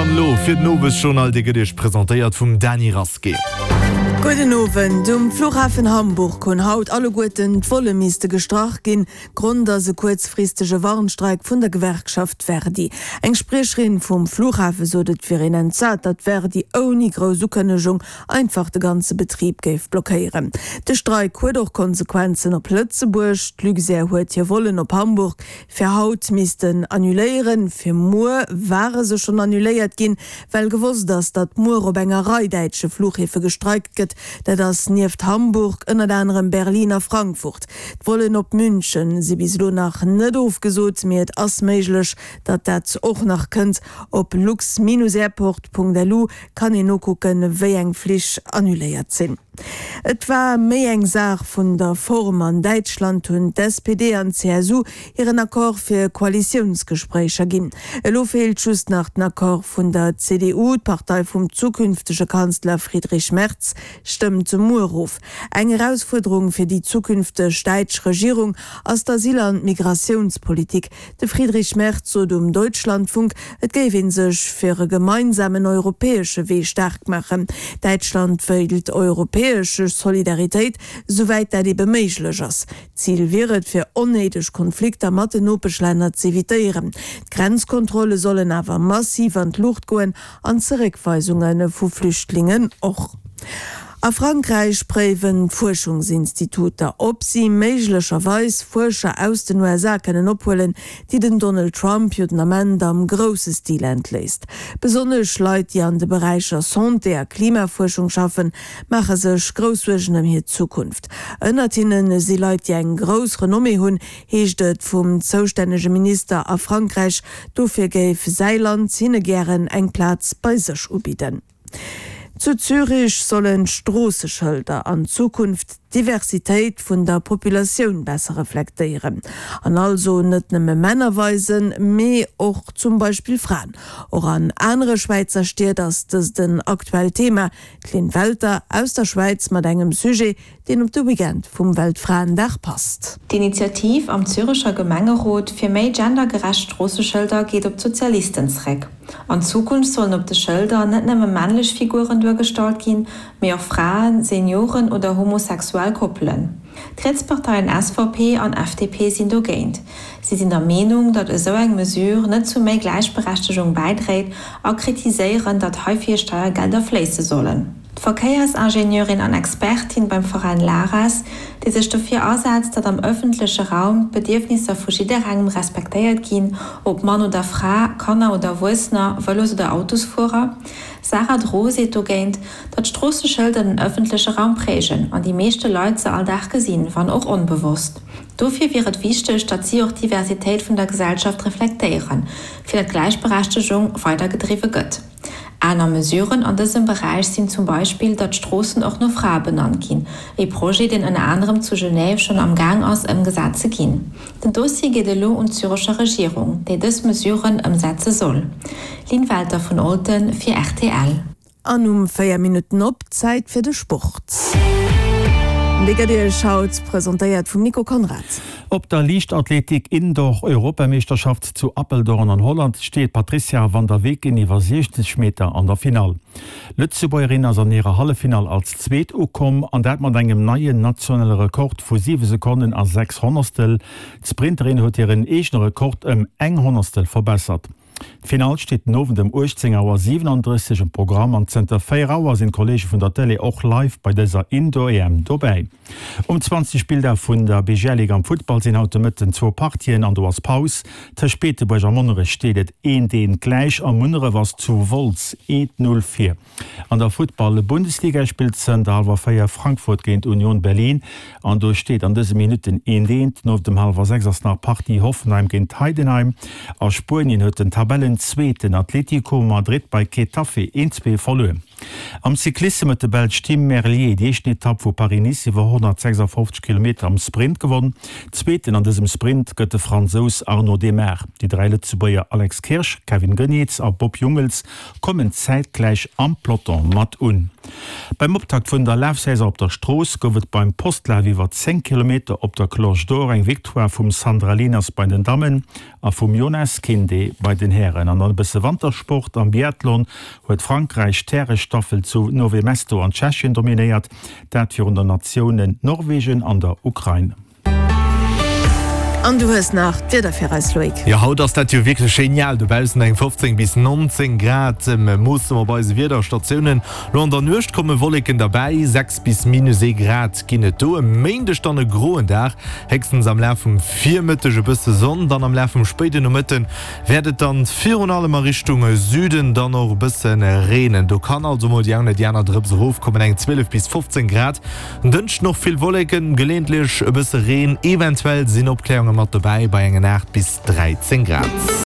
dann elo fir den Owesjournal, dee gëtt Iech presentéiert vum Dany Rasqué. Gudden Owend. Um Flughafen Hamburg hunn haut alleguerten d'Volle misste gestrach ginn. Grond ass e kuerzfristege Warnstreik vun der Gewerkschaft Verdi. Eng Spriecherin vum Flughafe sot, et wier een entsat, datt Verdi ouni grouss Ukënnegung einfach de ganze Betrib géif blockéieren. De Streik huet och Konsequenzen op Lëtzebuerg. D'Luxair huet hir Vollen op Hamburg fir haut missten annuléieren. Fir muer ware se schonn annuléiert ginn, well gewosst ass, datt muer op enger Rei däitsche Flughäfe gestreikt gëtt. Dat ass nieft Hamburg ënnert anerem Berlin a Frankfurt. D'Vollen op München si bis elo nach net ofgesot, mee et ass méiglech, datt dat och nach kënnt. Op lux-airport.lu Kann een nokucken wéi eng Flich annuléiert sinn. Et war méi eng Saach vun der Form. An Däitschland hunn d'SPD an d'CSU hiren Accord fir Koalitiounsgespréicher ginn. Elo feelt just nach den Accord vun der CDU. D'Partei vum zukünftege Kanzler Friedrich Merz stëmmt muer of. Eng Erausfuerderung fir déi zukünfteg däitsch Regierung ass d'Asyl an d'Migratiounspolitik. De Friedrich Merz sot um Deutschlandfunk, et géif ee sech fir e gemeinsamen europäesche Wee staark maachen. Däitschland wéilt europäesch Solidaritéit, souwäit dat ebe méiglech ass. Zil wier et, fir onnéideg Konflikter mat den Nopeschlänner z'evitéieren. D'Grenzkontrolle sollen awer massiv an d'Luucht goen an d'Zeréckweisunge vu Flüchtlingen och. A Frankräich préiwen d'Fuerschungsinstituter, ob si méiglecherweis Fuerscher aus den USA kënnen ophuelen, déi den Donald Trump jo den Ament am grousse Stil entléisst. Besonnesch Leit, déi an de Beräicher Santé a Klimafuerschung schaffen, maache sech grouss Suergen ëm hir Zukunft. Ënnert hinne si Leit, déi eng grouss Renommée hunn, heescht et vum zoustännege Minister a Frankräich. Dofir géif säi Land hinne gären eng Plaz bei sech ubidden. Zu Zürich sollen d'Stroosseschëlder an Zukunft d'Diversitéit vun der Populatioun besser reflektéieren an also net nëmme Männer weisen, mee och zum Beispill Fraen. Och an anere Schwäizer Stied ass dëst en aktuellt Thema. D'Lynn Welter aus der Schwäiz mat engem Sujet, deen op de Weekend vum Weltfraendag passt. D'Initiativ am Zürecher Gemengerot fir méi gendergerecht Stroosseschëlder geet op d'Sozialisten zréck. An Zukunft sollen op de Schëlder net nëmme männlech Figuren duergestallt ginn, mee och Fraen, Senioren oder homosexuell Koppelen. D'Rietsparteien SVP an FDP sinn dogéint. Si sinn der Meenung, datt esou eng Mesure net zu méi Gläichberechtegung bäidréit a kritiséieren, datt heifir Steiergelder fléisse sollen. D'Verkéiersingenieurin an Expertin beim Veräin LARES, déi sech dofir asetzt, datt am ëffentleche Raum d'Bedierfnisser vu jidderengem respektéiert ginn, ob Mann oder Fra, Kanner oder Erwuessener, Vëlos oder Autosfuerer, Sarah Dro seet dogéint, datt Stroosseschëlder den ëffentleche Raum prägen an déi meeschte Leit se all Dag gesinn, wann och onbewosst. Dofir wier et wichteg, datt si och d'Diversitéit vun der Gesellschaft reflektéieren, fir datt d'Gläichberechtegung weidergedriwwe gëtt. Aner Mesuren an dësem Beräich sinn zum Beispill, datt Stroossen och no Frae benannt ginn, e Projet, deen ënner anerem zu Genève schonn am Gaang ass ëmgesat ze ginn. Den Dossier geet elo un d'Zürecher Regierung, déi dës Mesuren ëmsetze soll. Lynn Welter vun Olten fir rtl. An um 4 Minutten op, Zäit fir de Sport. Dee gëtt Iech haut presentéiert vum Nico Conrad. Op der Liichtathletik-Indoor-Europameeschterschaft zu Apeldoorn an Holland steet d'Patrizia van der Weken iwwer 60 Meter an der Finall. D'Lëtzebuergerin ass an hirer Halleffinall als Zweet ukomm an dat mat engem neien nationale Rekord vu 7 Sekonnen a 6 Honnerstel. D'Sprinterin huet hiren eegene Rekord ëm eng Honnerstel verbessert. D'Finall steet den Owend ëm 18 Auer 37 um Programm an zënter 4 Auer sinn d'Kolleege vun der Tëlee och live bei dëser Indoor-EM dobäi. Um 20. Spilldag vun der BGL-Ligue am Futtball sinn haut de Mëtten zwou Partien an do ass Paus. Tëscht Beetebuerg a Monnerech steet et eent eent gläich a Munneref ass zu Wolz eent Null vir. An der Futtball-Bundesliga spillt zënter hallwer 4 Frankfurt géint Union Berlin an do steet an dëse Minutten eent eent. No dem hallwer 6 ass nach Partie Hoffenheim géint Heidenheim. A Spuenien huet den Tabellenzweeten Atletico Madrid bei Getafe 1, 2 verluer. Am Cyclissem huet de Belsch Tim Merlier déi éischten Etapp vu Paris-Nice iwwer 156 Kilometer am Sprint gewonn. Zweeten an dësem Sprint gëtt de Fransous Arnaud Démare. Déi 3 Lëtzebuerger Alex Kirsch, Kevin Geniets a Bob Jungels kommen zäitgläich am Peloton mat un. Beim Optakt vun der Lafsaison op der Strooss gouf et beim Postlaf iwwer 10 Kilometer op der Cloche d'Or eng Victoire vum Sandra Lieners bei den Dammen a vum Jonas Kinde bei den Hären. An dann e bësse Wantersport, Am Biathlon huet Frankräich d'Härestaffel zu Nové Mesto an Tschechien dominéiert, dat virun der Natiounen Norwegen an der Ukrain. An du hues nach d'Wieder fir eis, Loïc. Jo, haut ass dat jo wierklech genial dobaussen, eng 15 bis 19 Grad moosse mer op eise Wiederstatiounen. Lo an der Nuecht komme Wolleken derbäi, 6 bis minus ee Grad ginn et do. E Méindeg dann e groen Dag, héchstens am Laf vum Virmëtteg e bësse Sonn, dann am Laf vum spéiden Nomëtte wäert et dann virun allem a Richtung Süden dann och e bësse reenen. Do kann also mol déi eng oder déi aner Drëps erofkommen, eng 12 bis 15 Grad. En Dënschden och vill Wolleken, geleeëntlech e bësse Reen, eventuell sinn Opkläerunge mat dobäi bei engen 8 bis 13 Grad.